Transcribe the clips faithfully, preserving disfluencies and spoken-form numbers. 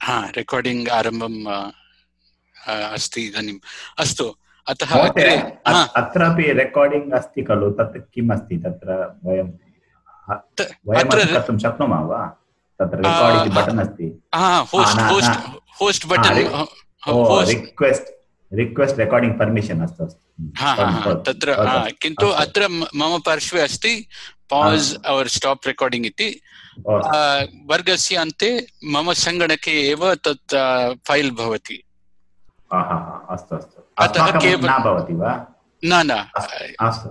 हा रेकार्डिङ्ग् आरम्भम् अस्ति इदानीम्। अस्तु, अतः महोदय, अग्रे अत्रापि रेकार्डिङ्ग् अस्ति खलु, तत् किम् अस्ति तत्र? वयं वयमपि कर्तुं शक्नुमः वा? तत्र रेकार्ड् इति बटन् अस्ति। Host host host button, request request recording permission अस्तु अस्तु तत्र, किन्तु अत्र मम पार्श्वे अस्ति पास् और् स्टाप् रेकार्डिङ्ग् इति। वर्गस्य अन्ते मम सङ्गणके एव तत् फैल् भवति। अस्तु अस्तु, अस्माकं न भवति वा? न न,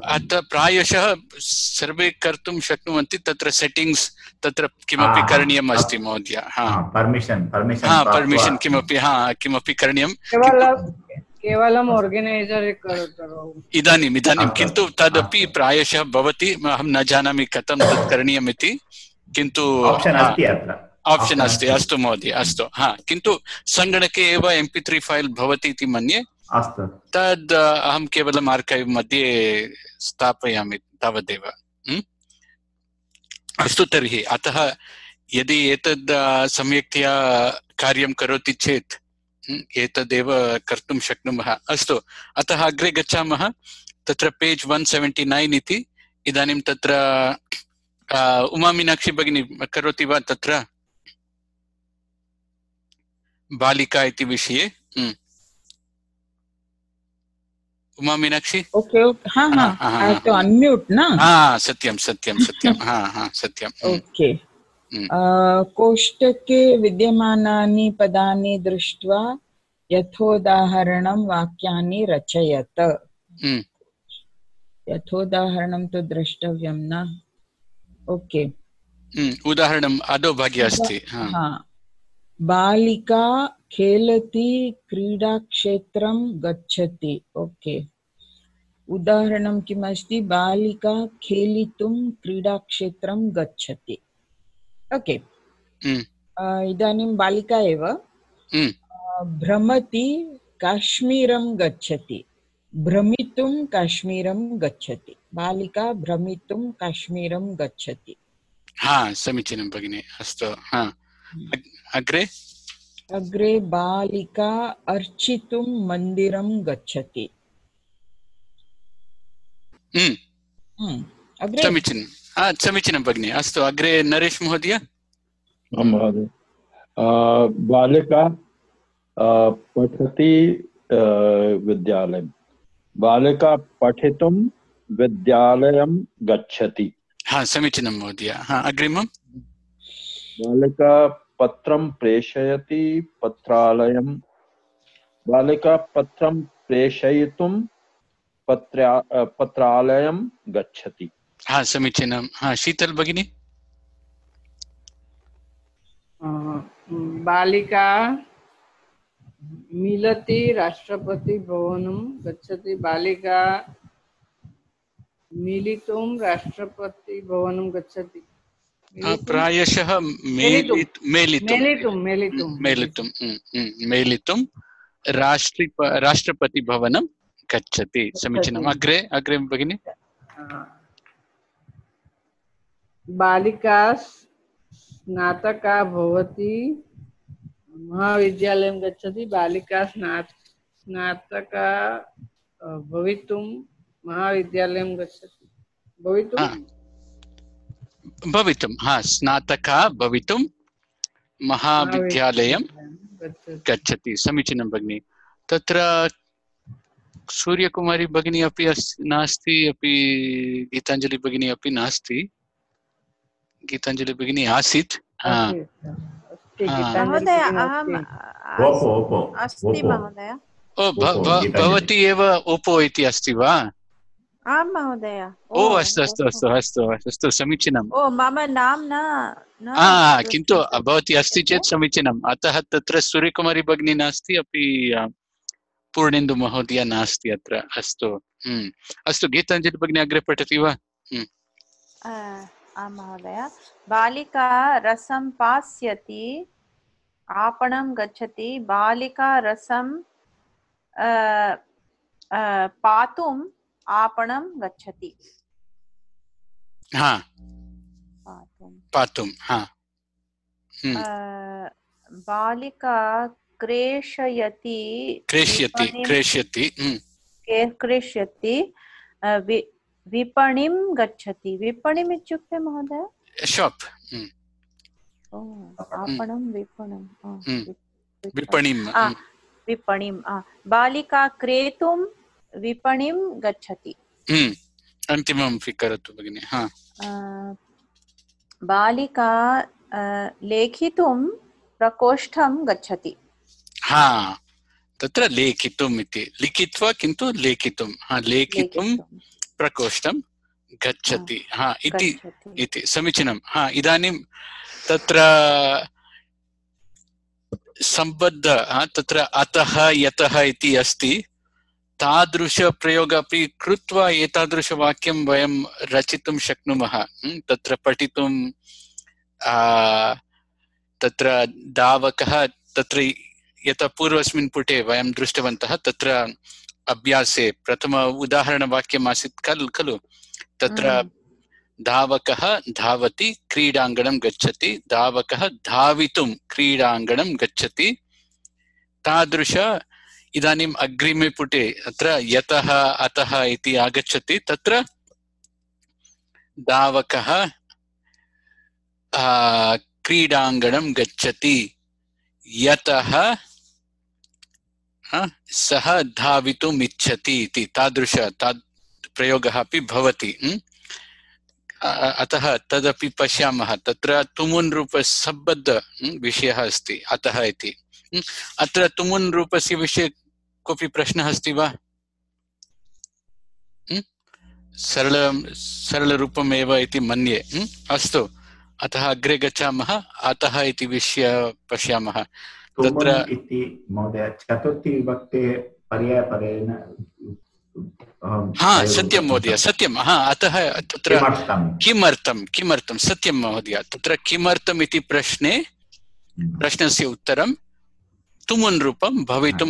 अतः प्रायशः सर्वे कर्तुं शक्नुवन्ति। तत्र सेटिङ्ग्स् तत्र किमपि करणीयम् अस्ति महोदय। पर्मिशन् पर्मिशन् किमपि हा किमपि करणीयं केवलम् आर्गनैजर् इदानीम् इदानीं किन्तु तदपि प्रायशः भवति। अहं न जानामि कथं तत् करणीयम् इति, किन्तु आप्शन् अस्ति। अस्तु महोदय, अस्तु। हा, किन्तु सङ्गणके एव एम् पि त्री फैल् भवति इति मन्ये। अस्तु, तद् अहं केवलम् आर्कैव् मध्ये स्थापयामि तावदेव। अस्तु, तर्हि अतः यदि एतद् सम्यक्तया कार्यं करोति चेत् एतदेव कर्तुं शक्नुमः। अस्तु, अतः अग्रे गच्छामः। तत्र पेज् वन् सेवेण्टि नैन् इति। इदानीं तत्र उमा मीनाक्षी भगिनी करोति वा तत्र बालिका इति विषये? उमा मीनाक्षी, ओके ओके, हाँ हाँ, तो अनम्यूट ना? हाँ, सत्यं सत्यं सत्यं, हाँ हाँ सत्यं। ओके, कोष्टके विद्यमानानि पदानि दृष्ट्वा यथोदाहरणं वाक्यानि रचयत। यथोदाहरणं तु द्रष्टव्यं न? ओके, उदाहरणम् अधोभागे अस्ति। हाँ, बालिका खेलति क्रीडाक्षेत्रं गच्छति। ओके, उदाहरणं किम् अस्ति? बालिका खेलितुं क्रीडाक्षेत्रं गच्छति। ओके, इदानीं बालिका एव भ्रमति काश्मीरं गच्छति। भ्रमितुं काश्मीरं गच्छति। बालिका भ्रमितुं काश्मीरं गच्छति। हा, समीचीनं भगिनी। अस्तु, हा, अग्रे अग्रे बालिका अर्चितुं मन्दिरं गच्छति। समीचीनं, समीचीनं भगिनी। अस्तु, अग्रे नरेश महोदय। महोदय, बालिका पठति विद्यालयं। बालिका पठितुं विद्यालयं गच्छति। हा, समीचीनं महोदय। हा, अग्रिमं। बालिका पत्रं प्रेषयति पत्रालयं। बालिका पत्रं प्रेषयितुं पत्रा पत्रालयं गच्छति। हा, समीचीनं। हा, शीतल भगिनी। बालिका मिलति राष्ट्रपति भवनं गच्छति। बालिका मिलितुं राष्ट्रपति भवनं गच्छति। प्रायशः मेलितुं मेलितुं मेलितुं मेलितुं राष्ट्रि राष्ट्रपति भवनं गच्छति। समीचीनम्। अग्रे अग्रे भगिनी। बालिका स्नातका भवति महाविद्यालयं गच्छति। बालिका स्नातका भवितुं महाविद्यालयं गच्छति। भवितुं भवितुं हा, स्नातका भवितुं महाविद्यालयं गच्छति। समीचीनं भगिनी। तत्र सूर्यकुमारी भगिनी अपि नास्ति, अपि गीताञ्जलि भगिनी अपि नास्ति। गीताञ्जलि भगिनी आसीत्। भवती एव ओपो इति अस्ति वा? आं महोदय। ओ अस्तु अस्तु अस्तु अस्तु अस्तु, समीचीनम्। ओ मम नाम न, किन्तु भवती अस्ति चेत् समीचीनम्। अतः तत्र सूर्यकुमारी भगिनी नास्ति, अपि पूर्णेन्दु महोदय नास्ति अत्र। अस्तु अस्तु, गीताञ्जलि भगिनी अग्रे पठति वा? आं महोदय। बालिका रसं पास्यति आपणं गच्छति। बालिका रसं पातुं आपणं गच्छति। हाँ, पातुं, हाँ। बालिका क्रेषयति क्रेष्यति विपणिं क्रेष्यति हम्म, के- क्रेष्यति अ, वि- विपणिं गच्छति विपणिम् इत्युक्ते महोदय शॉप हम्म, ओ, आपणं विपणं आ, हम्म, विप- विपणिम् आ, हम्म, विपणिम् आ, बालिका क्रेतुं विपणिं गच्छति हम्म, अन्तिमं करोतु भगिनि हा अ, बालिका अ, लेखितुं प्रकोष्ठं गच्छति हा तत्र लेखितुम् इति लिखित्वा किन्तु लेखितुं हा लेखितुं लेखितुं प्रकोष्ठं गच्छति हा इति गच्छति इति समीचीनं हा इदानीं तत्र सम्बद्ध हा, तत्र अतः यतः इति अस्ति तादृशप्रयोग अपि कृत्वा एतादृशवाक्यं वयं रचितुं शक्नुमः हम्म, तत्र पठितुं आ, तत्र धावकः तत्र यथा पूर्वस्मिन् पुटे वयं दृष्टवन्तः तत्र अभ्यासे प्रथम उदाहरणवाक्यम् आसीत् खलु खलु तत्र धावकः धावति क्रीडाङ्गणं गच्छति धावकः धावितुं क्रीडाङ्गणं गच्छति तादृश इदानीम् अग्रिमे पुटे अत्र यतः अतः इति आगच्छति तत्र धावकः क्रीडाङ्गणं गच्छति यतः सः धावितुम् इच्छति इति तादृश ताद् प्रयोगः अपि भवति अतः तदपि पश्यामः तत्र तुमुन् रूपसम्बद्ध विषयः अस्ति अतः इति अत्र तुमुन् रूपस्य विषये कोऽपि प्रश्नः अस्ति वा सरल सरलरूपमेव इति मन्ये अस्तु अतः अग्रे गच्छामः अतः इति विषय पश्यामः तत्र इति महोदय चतुर्थी विभक्ते पर्यायपदेन हा सत्यं महोदय सत्यं हा अतः तत्र किमर्थं किमर्थं सत्यं महोदय तत्र किमर्थम् इति प्रश्ने प्रश्नस्य उत्तरं तुमुन् रूपं भवितुं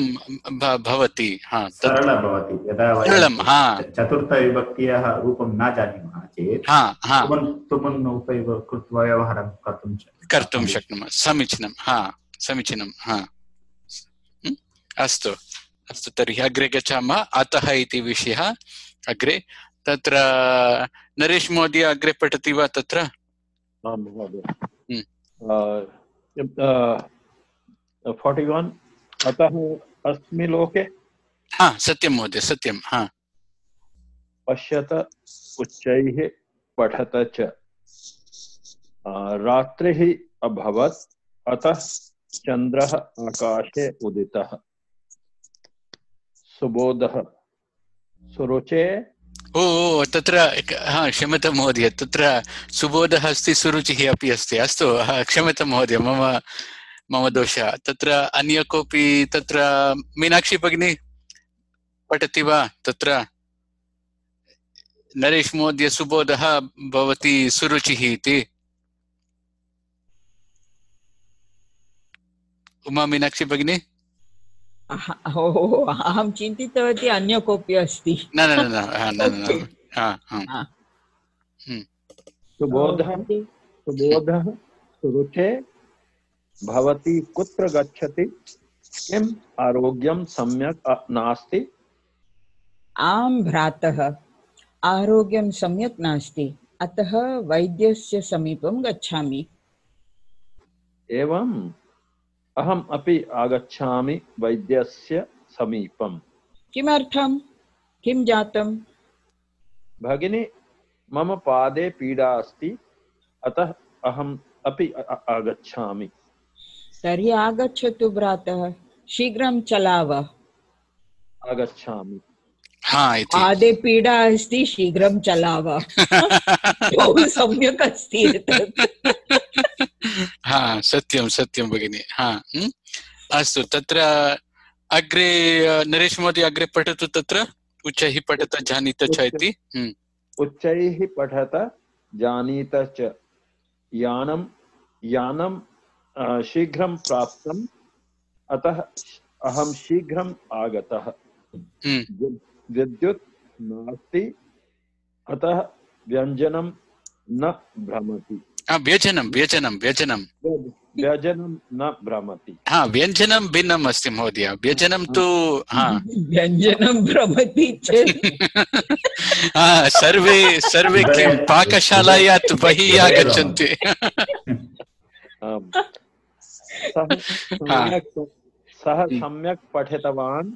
भवति हा सरलं भवति यदा सरलं हा चतुर्थविभक्त्याः रूपं न जानीमः चेत् हा हा तुमुन् उपैव कृत्वा व्यवहारं कर्तुं कर्तुं शक्नुमः समीचीनं हा समीचीनं हा अस्तु अस्तु तर्हि अग्रे गच्छामः अतः इति विषयः अग्रे तत्र नरेश महोदय अग्रे पठति वा तत्र फोर्टि वन् अतः अस्मि लोके हा सत्यं महोदय सत्यं हा पश्यत उच्चैः पठत च रात्रिः अभवत् अतः चन्द्रः आकाशे उदितः सुबोधः सुरुचे ओ तत्र हा क्षम्यतां महोदय तत्र सुबोधः अस्ति सुरुचिः अपि अस्ति अस्तु क्षम्यतां महोदय मम मम दोषः तत्र अन्य कोऽपि तत्र मीनाक्षी भगिनी पठति वा तत्र नरेश महोदय सुबोधः भवति सुरुचिः इति उमा मीनाक्षी भगिनी अहं चिन्तितवती अन्य कोऽपि अस्ति न न न सुबोधः सुबोधः सुरुचे भवती कुत्र गच्छति किम् आरोग्यं सम्यक् नास्ति आं भ्रातः आरोग्यं सम्यक् नास्ति अतः वैद्यस्य समीपं गच्छामि एवम् अहम् अपि आगच्छामि वैद्यस्य समीपम् किमर्थं किं जातं भगिनी मम पादे पीडा अस्ति अतः अहम् अपि आगच्छामि तर्हि आगच्छतु भ्रातः शीघ्रं चलाव आगच्छामि पादे पीडा अस्ति शीघ्रं चलाव बहु सम्यक् अस्ति हा सत्यं सत्यं भगिनी हा अस्तु तत्र अग्रे नरेश महोदय अग्रे पठतु तत्र उच्चैः पठत जानीत च इति उच्चैः पठत जानीत च यानं यानं शीघ्रं प्राप्तम् अतः अहं शीघ्रम् आगतः विद्युत् नास्ति अतः व्यञ्जनं न भ्रमति व्यजनं व्यजनं व्यजनं व्यजनं न भ्रमति। हा, व्यञ्जनं भिन्नम् अस्ति महोदय, व्यजनं तु हा व्यञ्जनं भ्रमति चेत् सर्वे सर्वे किं पाकशालायात् बहिः आगच्छन्ति। सः सम्यक् पठितवान्,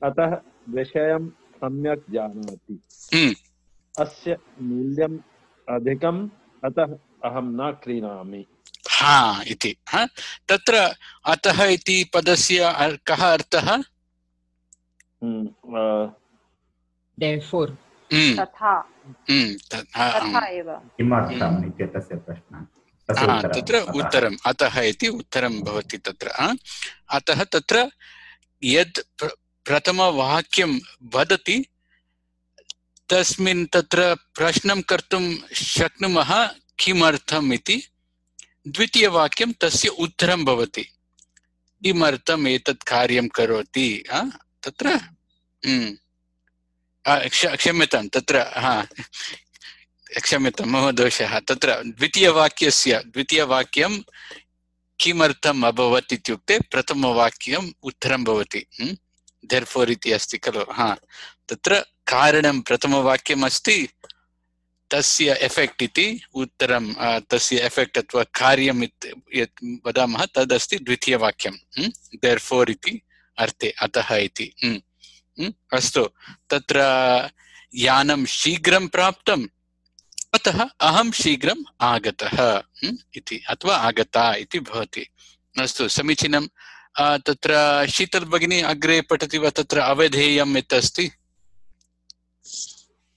अतः विषयं सम्यक् जानाति। अस्य मूल्यम् अधिकम्, अतः अहं न क्रीणामि। हा इति। तत्र अतः इति पदस्य कः अर्थः? Therefore. तथा तथा एव किमर्थम् इत्येतस्य प्रश्नः। तत्र उत्तरम् अतः इति उत्तरं भवति तत्र। अतः तत्र यद् प्रथमवाक्यं वदति तस्मिन् तत्र प्रश्नं कर्तुं शक्नुमः किमर्थम् इति। द्वितीयवाक्यं तस्य उत्तरं भवति, किमर्थम् एतत् कार्यं करोति तत्र। क्षम्यतां तत्र हा क्षम्यतां मम दोषः। तत्र द्वितीयवाक्यस्य द्वितीयवाक्यं किमर्थम् अभवत् इत्युक्ते प्रथमवाक्यम् उत्तरं भवति। देर्फोर् इति अस्ति खलु। हा, तत्र कारणं प्रथमवाक्यम् अस्ति, तस्य एफेक्ट् इति उत्तरं, तस्य एफेक्ट् अथवा कार्यं यत् वदामः तदस्ति द्वितीयवाक्यं। देर्फोर् इति अर्थे, अतः इति। अस्तु, तत्र यानं शीघ्रं प्राप्तम्, अतः अहं शीघ्रम् आगतः इति अथवा आगता इति भवति। अस्तु, समीचीनं। तत्र शीतल भगिनी अग्रे पठति वा? तत्र अवधेयम् यत् अस्ति।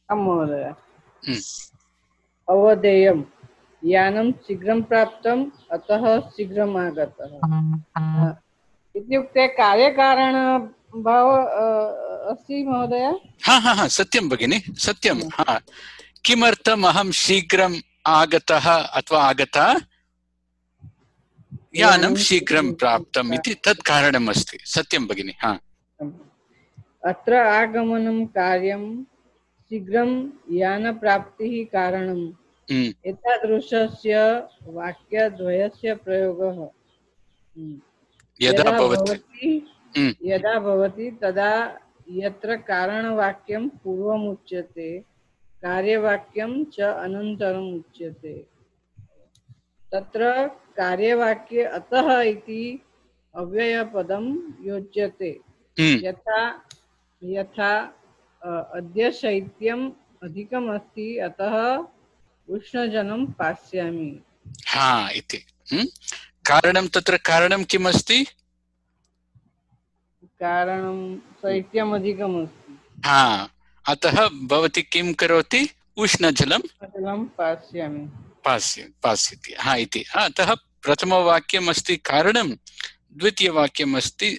महोदय, अवधेयं यानं शीघ्रं प्राप्तम्, अतः शीघ्रम् आगतः इत्युक्ते कार्यकारणभाव अस्ति महोदय। हा हा हा सत्यं भगिनी, सत्यं। हा, किमर्थम् अहं शीघ्रम् आगतः अथवा आगता? यानं शीघ्रं प्राप्तम् इति तत् कारणम् अस्ति। सत्यं भगिनी। हा, अत्र आगमनं कार्यं, शीघ्रं यानप्राप्तिः कारणम्। एतादृशस्य वाक्यद्वयस्य प्रयोगः यदा भवति यदा भवति तदा यत्र कारणवाक्यं पूर्वम् उच्यते, कार्यवाक्यं च अनन्तरम् उच्यते। तत्र कार्यवाक्ये अतः इति अव्ययपदं योज्यते। यथा यथा अद्य शैत्यम् अधिकम् अस्ति, अतः उष्णजलं पास्यामि। हा इति कारणं। तत्र कारणं किम् अस्ति? कारणं शैत्यम् अधिकम् अस्ति। हा, अतः भवती किं करोति? उष्णजलं पास्यामि पास्य पास्यति। हा इति। अतः प्रथमवाक्यम् अस्ति कारणं, द्वितीयवाक्यम् अस्ति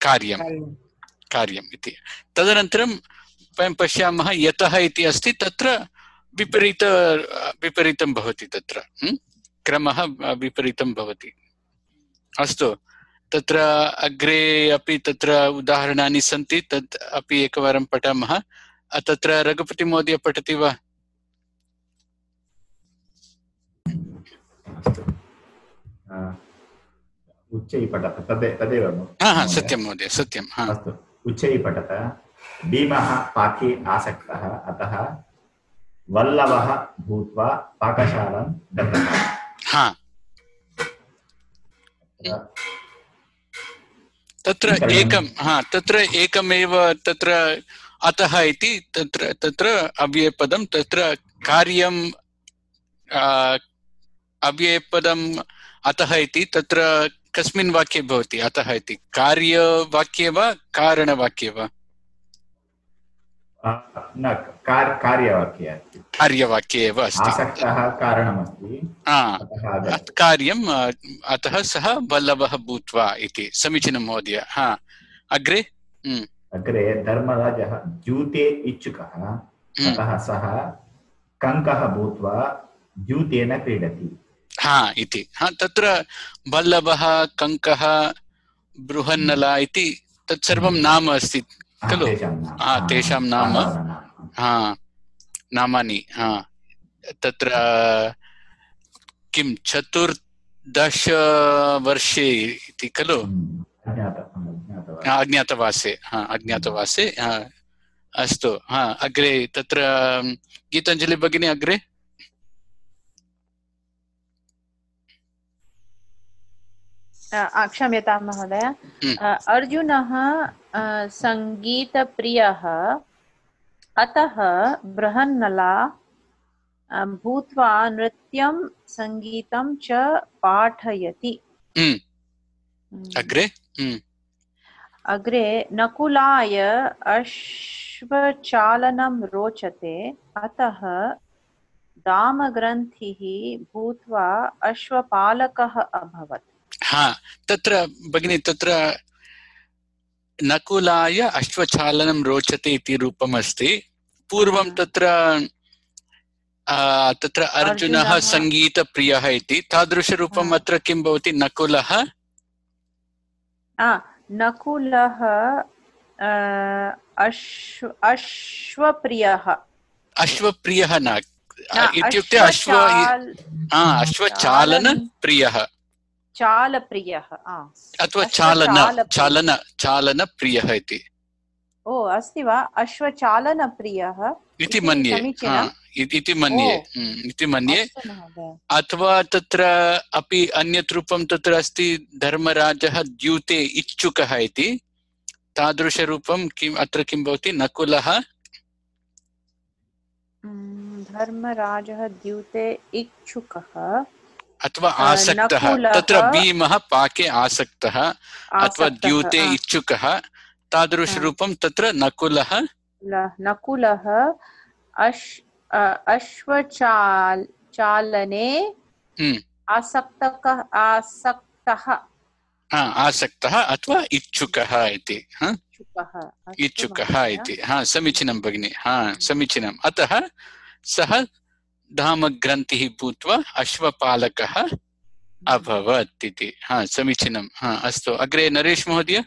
कार्यं कार्यम् इति। तदनन्तरं वयं पश्यामः यतः इति अस्ति, तत्र विपरीत विपरीतं भवति, तत्र क्रमः विपरीतं भवति। अस्तु, तत्र अग्रे अपि तत्र उदाहरणानि सन्ति, तत् अपि एकवारं पठामः। तत्र रघुपति महोदय पठति वा? उच्चैः पठत तदेव। हा हा सत्यं महोदय, सत्यं। हा, अस्तु, उच्चैः पठत। भीमः पाके आसक्तः, अतः वल्लभः भूत्वा पाकशालां गतः। हा, तत्र एकं हा तत्र एकमेव तत्र अतः इति तत्र तत्र अव्ययपदं, तत्र कार्यं अव्ययपदम् अतः इति तत्र कस्मिन् वाक्ये भवति? अतः इति कार्यवाक्ये वा कारणवाक्ये वा? न, कार्यवाक्ये अस्ति। कार्यवाक्ये एव अस्ति। आसक्तः कारणमस्ति, कार्यम् अतः सः वल्लभः भूत्वा इति। समीचीनं महोदय। हा, अग्रे अग्रे धर्मराजः द्यूते इच्छुकः, अतः सः कङ्कः भूत्वा द्यूतेन क्रीडति। हा इति। हा, तत्र वल्लभः, कङ्कः, बृहन्नला इति तत्सर्वं नाम अस्ति खलु। हा, तेषां नाम हा नामानि। हा, तत्र किं चतुर् दशवर्षे इति खलु अज्ञातवासे हा अज्ञातवासे अस्तु हा अग्रे तत्र गीताञ्जलि भगिनी अग्रे क्षम्यतां महोदय अर्जुनः सङ्गीतप्रियः अतः बृहन्नला भूत्वा नृत्यं सङ्गीतं च पाठयति अग्रे अग्रे नकुलाय अश्वचालनं रोचते अतः दामग्रन्थिः भूत्वा अश्वपालकः अभवत् हा तत्र भगिनी तत्र नकुलाय अश्वचालनं रोचते इति रूपम् अस्ति पूर्वं तत्र तत्र अर्जुनः सङ्गीतप्रियः इति तादृशरूपम् अत्र किं भवति नकुलः नकुलः अश्वप्रियः अश्वप्रियः न इत्युक्ते अश्व अश्वचालनप्रियः चालप्रियः अथवा चालन चालन चालनप्रियः इति ओ अस्ति वा अश्वचालनप्रियः इति मन्ये इति मन्ये इति मन्ये अथवा तत्र अपि अन्यत् रूपं तत्र अस्ति धर्मराजः द्यूते इच्छुकः इति तादृशरूपं किम् अत्र किं भवति नकुलः धर्मराजः द्यूते इच्छुकः अथवा आसक्तः तत्र भीमः पाके आसक्तः अथवा द्यूते इच्छुकः तादृशरूपं तत्र नकुलः नकुलः अश्वचाल चालने आसक्तः आसक्तः आसक्तः अथवा इच्छुकः इति इच्छुकः इति हा समीचीनं भगिनि हा समीचीनम् अतः सः धामग्रन्थिः भूत्वा अश्वपालकः अभवत् इति हा समीचीनं हा अस्तु अग्रे नरेश महोदय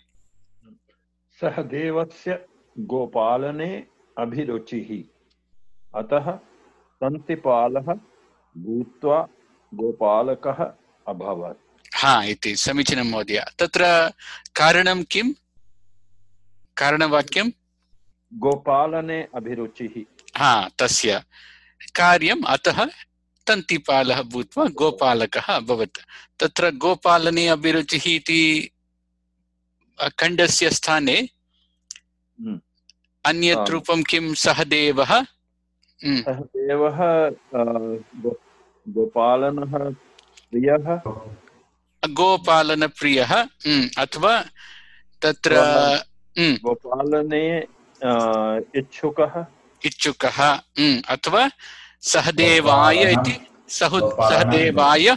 सः देवस्य गोपालने अभिरुचिः अतः तन्तिपालः भूत्वा गोपालकः अभवत् हा इति समीचीनं महोदय तत्र कारणं किं कारणवाक्यं गोपालने अभिरुचिः हा तस्य कार्यम् अतः तन्तिपालः भूत्वा गोपालकः अभवत् तत्र गोपालने अभिरुचिः इति खण्डस्य स्थाने अन्यत् रूपं किं सहदेवः सहदेवः गोपालनः प्रियः गोपालनप्रियः अथवा तत्र गोपालने इच्छुकः इच्छुकः अथवा सहदेवाय इति सहदेवाय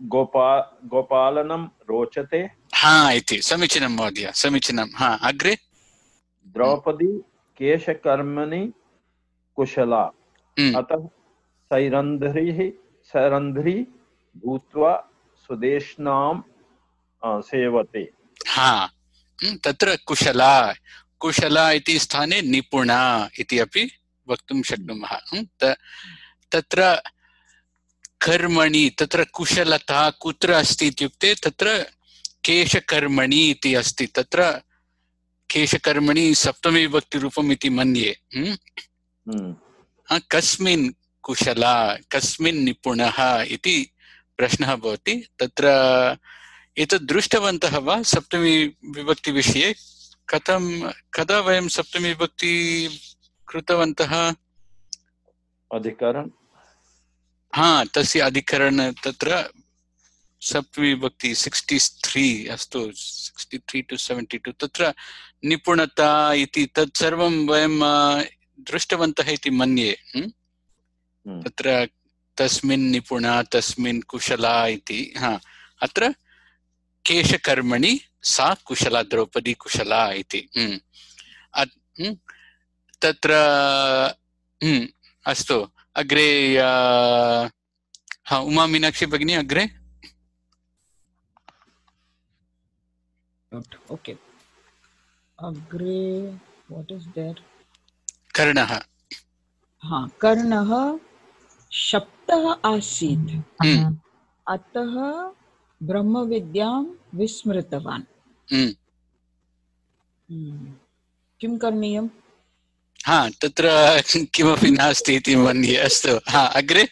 गोपा गोपालनं रोचते हा इति समीचीनं महोदय समीचीनं हा अग्रे द्रौपदी केशकर्मणि कुशला अतः सैरन्ध्रीः सैरन्ध्री भूत्वा सुदेशनां सेवते हा तत्र कुशला कुशला इति स्थाने निपुणा इति अपि वक्तुं शक्नुमः तत्र कर्मणि तत्र कुशलता कुत्र अस्ति इत्युक्ते तत्र केशकर्मणि इति अस्ति तत्र केशकर्मणि सप्तमी विभक्तिरूपम् इति मन्ये कस्मिन् कुशला कस्मिन् निपुणः इति प्रश्नः भवति तत्र एतद् दृष्टवन्तः वा सप्तमी विभक्तिविषये कथं कदा वयं सप्तमी विभक्ति कृतवन्तः अधिकरण हा तस्य अधिकरण तत्र सप्तमी विभक्ति सिक्स्टि थ्री अस्तु sixty three to seventy two तत्र निपुणता इति तत् सर्वं वयं दृष्टवन्तः इति मन्ये तत्र तस्मिन् निपुणा तस्मिन् कुशला इति हा अत्र केशकर्मणि सा कुशला द्रौपदी कुशला इति तत्र अस्तु अग्रे हा उमा मीनाक्षी भगिनी अग्रे ओके अग्रे व्हाट इज देयर कर्णः हाँ कर्णः शप्तः आसीत् अतः ब्रह्मविद्यां विस्मृतवान्। किं करणीयम्? हा तत्र किमपि नास्ति इति मन्ये। अस्तु, हा अग्रे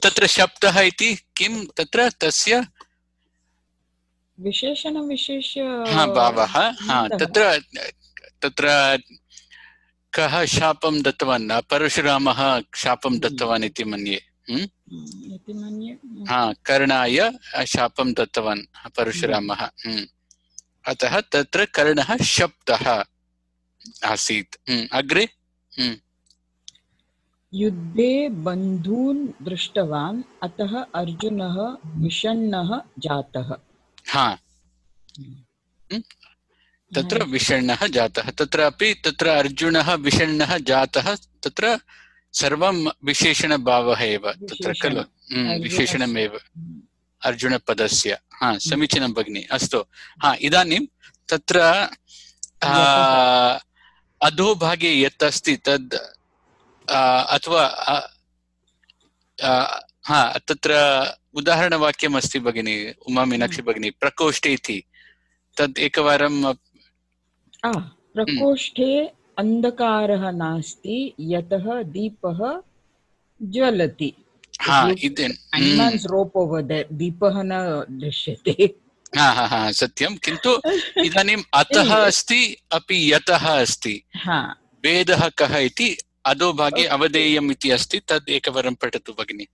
तत्र शब्दः इति किं तत्र तस्य विशेषणविशेष्य हा भावः। हा तत्र तत्र कः शापं दत्तवान्? परशुरामः शापं दत्तवान् इति मन्ये। इति मन्ये। हा कर्णाय शापं दत्तवान् परशुरामः। अतः तत्र कर्णः शब्दः आसीत्। अग्रे युद्धे बन्धून् दृष्टवान् अतः अर्जुनः विषण्णः जातः। हा तत्र विषण्णः जातः। तत्रापि तत्र अर्जुनः विषण्णः जातः तत्र सर्वं विशेषणभावः एव तत्र खलु, विशेषणमेव अर्जुनपदस्य। हा समीचीनं भगिनि। अस्तु, हा इदानीं तत्र अधोभागे यत् अस्ति तद् अथवा हा तत्र उदाहरणवाक्यम् अस्ति भगिनी उमा मीनाक्षी भगिनी, प्रकोष्ठे इति तद् एकवारं। प्रकोष्ठे अन्धकारः नास्ति यतः दीपः ज्वलति। दीपः न दृश्यते। हा हा हा सत्यं, किन्तु इदानीम् अतः अस्ति अपि यतः अस्ति। भेदः कः इति अधोभागे अवधेयम् इति अस्ति, तद् एकवारं पठतु भगिनि।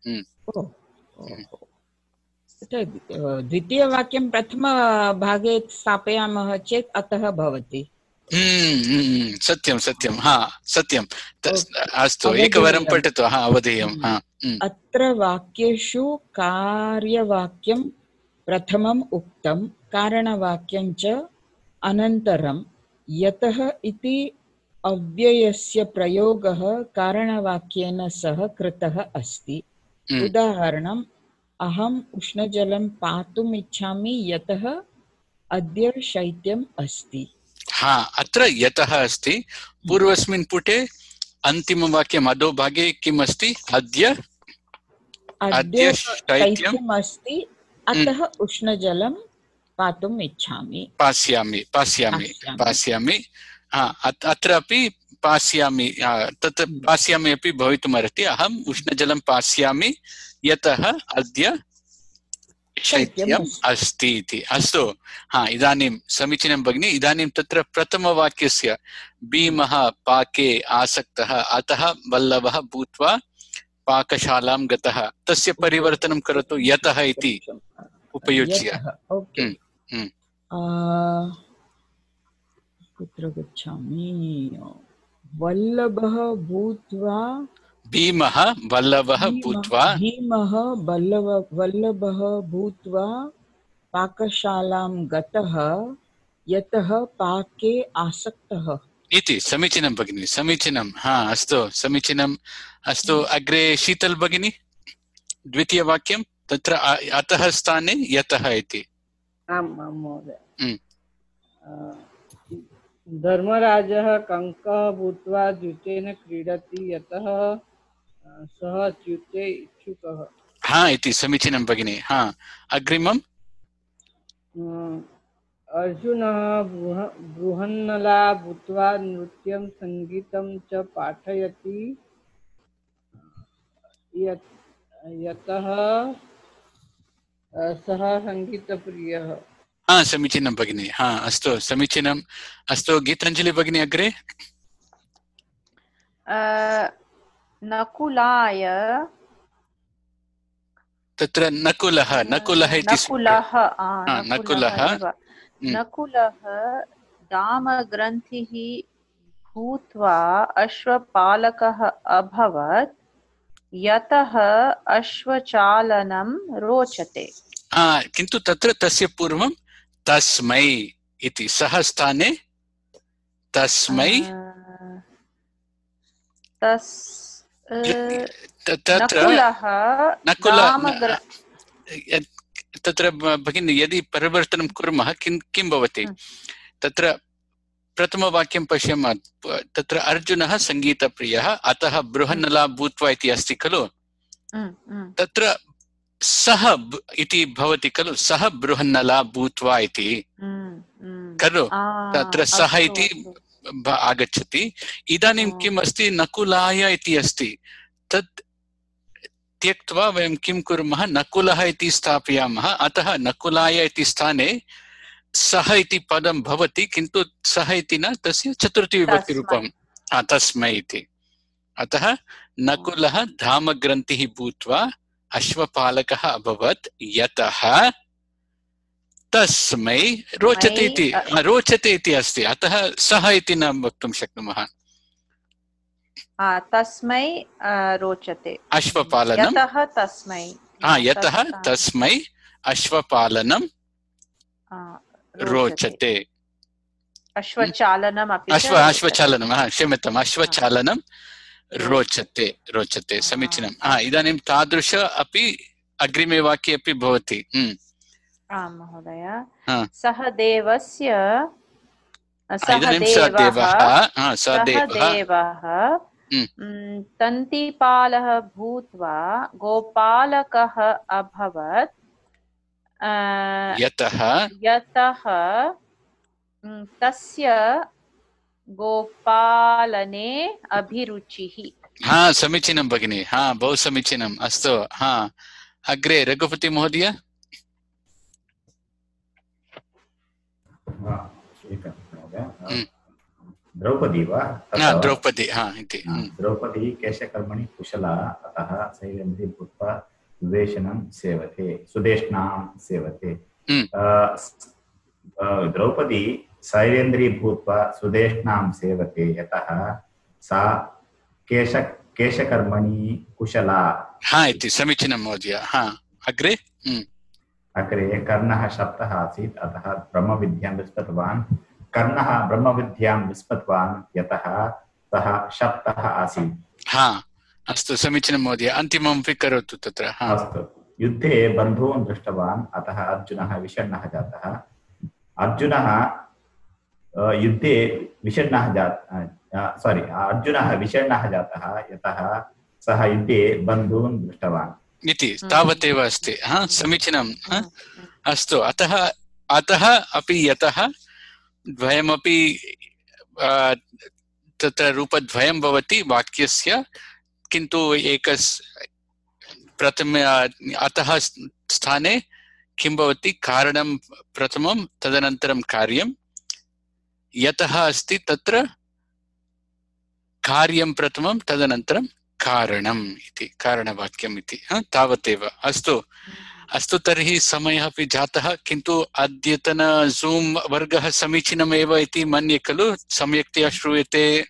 द्वितीयवाक्यं प्रथमभागे स्थापयामः चेत् अतः भवति। सत्यं सत्यं, हा सत्यं। अस्तु एकवारं पठतु। हा अवधेयम्। अत्र वाक्येषु कार्यवाक्यं प्रथमम् उक्तं, कारणवाक्यं च अनन्तरं। यतः इति अव्ययस्य प्रयोगः कारणवाक्येन सह कृतः अस्ति। उदाहरणम्, अहम् उष्णजलं पातुम् इच्छामि यतः अद्य शैत्यम् अस्ति। हा अत्र यतः अस्ति। पूर्वस्मिन् पुटे अन्तिमवाक्यम् अधोभागे किम् अस्ति? अद्य अद्य शैत्यम् अस्ति अतः उष्णजलं पातुम् इच्छामि। पास्यामि पास्यामि पास्यामि हा अत्रापि पास्यामि, तत् पास्यामि अपि भवितुमर्हति। अहम् उष्णजलं पास्यामि यतः अद्य शैत्यम् अस्ति इति। अस्तु, हा इदानीं समीचीनं भगिनि। इदानीं तत्र प्रथमवाक्यस्य भीमः पाके आसक्तः अतः वल्लभः भूत्वा पाकशालां गतः, तस्य परिवर्तनं करोतु यतः इति उपयुज्य। कुत्र गच्छामि? वल्लभः भूत्वा भीमः वल्लभः भूत्वा भीमः वल्लभ वल्लभः भूत्वा पाकशालां गतः यतः पाके आसक्तः इति। समीचीनं भगिनि, समीचीनं। हा अस्तु, समीचीनम्। अस्तु, अग्रे शीतल भगिनी, द्वितीयवाक्यं तत्र अतः स्थाने यतः इति। आम् आम् महोदय। धर्मराजः कङ्कः भूत्वा द्यूतेन क्रीडति यतः सः च्युते इच्छुकः। हा इति समीचीनं भगिनि। हा अग्रिमम्, अर्जुनः बृहन्नला भूत्वा नृत्यं सङ्गीतं च पाठयति यतः सः सङ्गीतप्रियः। हा समीचीनं भगिनि। हा अस्तु, समीचीनम्। अस्तु, गीताञ्जलि भगिनी अग्रे। नकुलाय तत्र नकुलः नकुलः इति नकुलः नकुलः नकुलः दामग्रन्थिः भूत्वा अश्वपालकः अभवत् यतः अश्वचालनं रोचते। किन्तु तत्र तस्य पूर्वं तस्मै इति, सः स्थाने तस्मै तत्र तत्र भगिनी यदि परिवर्तनं कुर्मः किं किं भवति? तत्र प्रथमवाक्यं पश्यामः, तत्र अर्जुनः सङ्गीतप्रियः अतः बृहन्नला भूत्वा इति अस्ति खलु। तत्र सः इति भवति खलु, सः बृहन्नला भूत्वा इति खलु, तत्र सः इति आगच्छति। इदानीं किम् अस्ति, नकुलाय इति अस्ति, तत् त्यक्त्वा वयं किं कुर्मः, नकुलः इति स्थापयामः। अतः नकुलाय इति स्थाने सः इति पदं भवति, किन्तु सः इति न, तस्य चतुर्थीविभक्तिरूपं तस्मै इति। अतः नकुलः धामग्रन्थिः भूत्वा अश्वपालकः अभवत्, यतः तस्मै रोचते इति रोचते इति अस्ति। अतः सः इति न वक्तुं शक्नुमः। तस्मै रोचते अश्वपालनं, यतः तस्मै यतः तस्मै अश्वपालनं रोचते। अश्वचालनम् अपि अश्व अश्वचालनं क्षम्यताम् अश्वचालनं रोचते रोचते समीचीनम्। इदानीं तादृश अपि अग्रिमे वाक्ये अपि भवति। आम् महोदय। सः देवस्य सः देवः तन्तिपालः भूत्वा गोपालकः अभवत्, यतः यतः तस्य गोपालने अभिरुचिः। हा समीचीनं भगिनी, हा बहु समीचीनम्। अस्तु, हा अग्रे रघुपति महोदय। द्रौपदी वा? द्रौपदी, हा इति। द्रौपदी केशकर्मणि कुशला, अतः शैलेन्द्री भूत्वा सुदेशनं सेवते सुदेशनां सेवते। द्रौपदी शैलेन्द्री भूत्वा सुदेशनां सेवते, यतः सा केश केशकर्मणि कुशला। हा इति समीचीनं महोदय। हा अग्रे अग्रे कर्णः शब्दः आसीत्, अतः ब्रह्मविद्यां विस्मृतवान्। कर्णः ब्रह्मविद्यां विस्मृतवान्, यतः सः शब्दः आसीत्। हा अस्तु समीचीनं महोदय। अन्तिममपि करोतु तत्र। अस्तु। युद्धे बन्धून् दृष्टवान्, अतः अर्जुनः विषण्णः जातः। अर्जुनः युद्धे विषण्णः जातः सारी अर्जुनः विषण्णः जातः, यतः सः युद्धे बन्धून् दृष्टवान् इति तावदेव अस्ति। हा समीचीनम्। अस्तु, अतः अतः अपि यतः द्वयमपि तत्र रूपद्वयं भवति वाक्यस्य, किन्तु एकस् प्रथमे अतः स्थाने किं भवति, कारणं प्रथमं तदनन्तरं कार्यं। यतः अस्ति तत्र कार्यं प्रथमं तदनन्तरं कारणम् इति, कारणवाक्यम् इति। तावदेव। अस्तु अस्तु तर्हि समयः अपि जातः, किन्तु अद्यतन जूम् वर्गः समीचीनमेव इति मन्ये खलु, सम्यक्तया श्रूयते।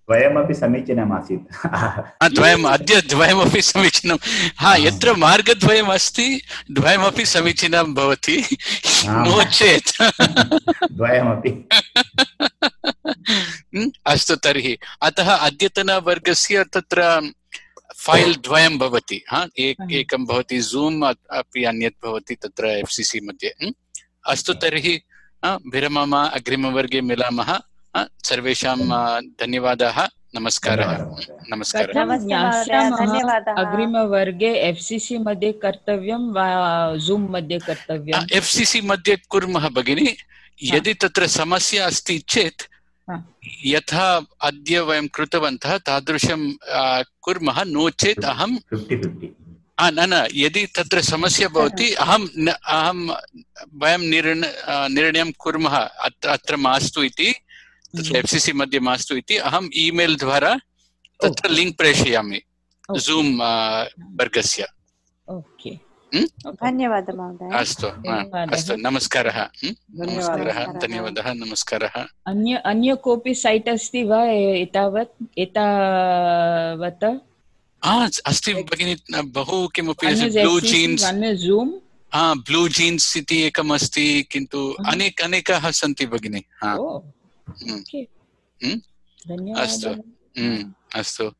द्वयमपि समीचीनम् आसीत्। द्वयम् अद्य द्वयमपि समीचीनं। हा यत्र मार्गद्वयम् अस्ति द्वयमपि समीचीनं भवति, नो चेत् द्वयमपि। अस्तु तर्हि अतः अद्यतनवर्गस्य तत्र फैल् द्वयं भवति। हा एक एकं भवति जूम् अपि अन्यत् भवति तत्र एफ् सि सि मध्ये। अस्तु तर्हि विरमामः, अग्रिमवर्गे मिलामः। सर्वेषां धन्यवादाः, नमस्कारः। नमस्कारः। अग्रिमवर्गे एफ् सि सि मध्ये कर्तव्यं वा जूम् मध्ये कर्तव्यम्? एफ् सि सि मध्ये कुर्मः भगिनी। यदि तत्र समस्या अस्ति चेत् यथा अद्य वयं कृतवन्तः तादृशं कुर्मः, नो चेत् अहं न न यदि तत्र समस्या भवति अहं अहं वयं निर्णयं कुर्मः अत्र मास्तु इति, तत्र एफ् सि सि मध्ये मास्तु इति अहम् ईमेल् द्वारा तत्र लिङ्क् प्रेषयामि जूम् वर्गस्य। धन्यवादः महोदय। अस्तु अस्तु, नमस्कारः। नमस्कारः, धन्यवादः, नमस्कारः। अन्य अन्य कोऽपि सैट् अस्ति वा एतावत् एतावत्? अस्ति भगिनी, बहु किमपि blue jeans, zoom blue jeans इति एकम् अस्ति, किन्तु अनेक अनेकाः सन्ति भगिनी। अस्तु अस्तु।